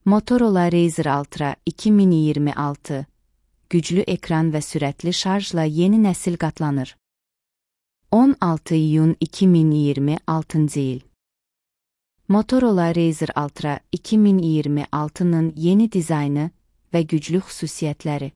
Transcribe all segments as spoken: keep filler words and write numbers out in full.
Motorola Razr Ultra iki min iyirmi altı güclü ekran və sürətli şarjla yeni nəsil qatlanır. on altı iyun iki min iyirmi altıncı il. Motorola Razr Ultra iki min iyirmi altının yeni dizaynı və güclü xüsusiyyətləri.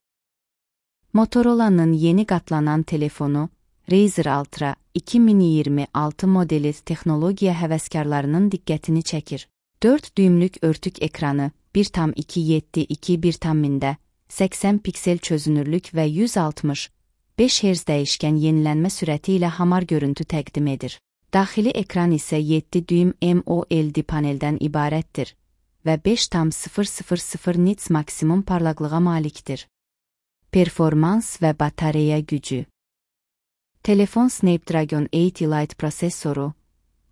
Motorola'nın yeni qatlanan telefonu Razr Ultra iki min iyirmi altı modeli texnologiya həvəskarlarının diqqətini çəkir. dörd düymlük örtük ekranı, bir tam iki yeddi iki bir tammində, səksən piksel çözünürlük və yüz altmış beş hertz dəyişkən yenilənmə sürəti ilə hamar görüntü təqdim edir. Daxili ekran isə yeddi düym AMOLED paneldən ibarətdir və beş tam sıfır sıfır sıfır nits maksimum parlaqlığa malikdir. Performans və batareya gücü. Telefon Snapdragon osmon Elite prosesoru,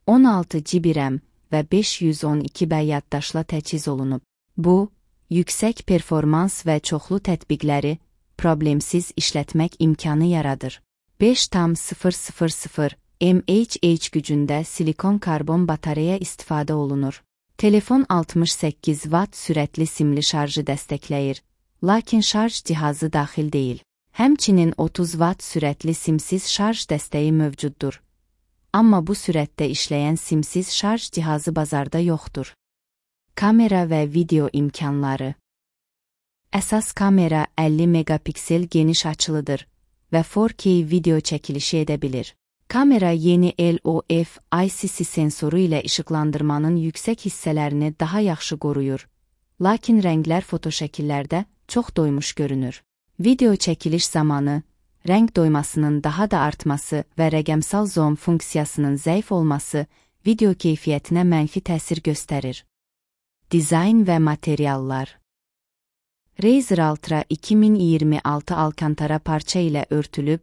on altı giqabayt RAM və beş yüz on iki B yaddaşla təchiz olunub. Bu, yüksək performans və çoxlu tətbiqləri problemsiz işlətmək imkanı yaradır. beş tam sıfır sıfır sıfır mAh gücündə silikon karbon batareya istifadə olunur. Telefon altmış səkkiz watt sürətli simli şarjı dəstəkləyir, lakin şarj cihazı daxil deyil. Həmçinin otuz watt sürətli simsiz şarj dəstəyi mövcuddur. Amma bu sürətdə işləyən simsiz şarj cihazı bazarda yoxdur. Kamera və video imkanları. Əsas kamera əlli megapiksel geniş açılıdır və four K video çəkilişi edə bilir. Kamera yeni L O F I C C sensoru ilə işıqlandırmanın yüksək hissələrini daha yaxşı qoruyur, lakin rənglər fotoşəkillərdə çox doymuş görünür. Video çəkiliş zamanı, rəng doymasının daha da artması və rəqəmsal zoom funksiyasının zəif olması video keyfiyyətinə mənfi təsir göstərir. Dizayn və materiallar. Razr Ultra iki min iyirmi altı alkantara parça ilə örtülüb,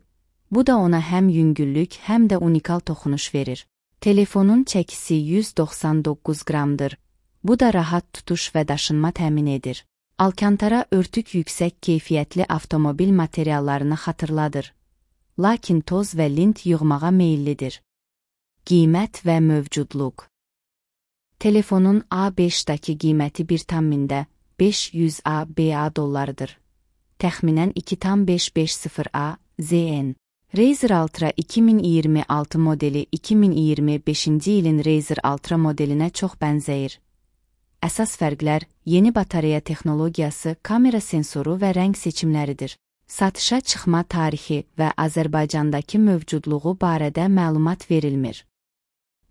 bu da ona həm yüngüllük, həm də unikal toxunuş verir. Telefonun çəkisi yüz doxsan doqquz qramdır. Bu da rahat tutuş və daşınma təmin edir. Alkantara örtük yüksək keyfiyyətli avtomobil materiallarını xatırladır, lakin toz və lint yığmağa meyillidir. Qiymət və mövcudluq. Telefonun A beşdəki qiyməti bir tammində beş yüz ABA dollarıdır. Təxminən iki tam beş beş sıfır A Z N. Razr Ultra iki min iyirmi altı modeli iki min iyirmi beşinci ilin Razr Ultra modelinə çox bənzəyir. Əsas fərqlər yeni batareya texnologiyası, kamera sensoru və rəng seçimləridir. Satışa çıxma tarixi və Azərbaycandakı mövcudluğu barədə məlumat verilmir.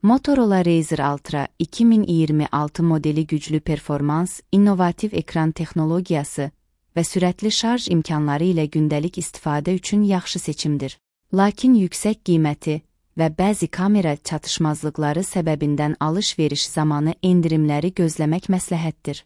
Motorola Razr Ultra iki min iyirmi altı modeli güclü performans, innovativ ekran texnologiyası və sürətli şarj imkanları ilə gündəlik istifadə üçün yaxşı seçimdir. Lakin yüksək qiyməti və bəzi kamera çatışmazlıqları səbəbindən alış-veriş zamanı endirimləri gözləmək məsləhətdir.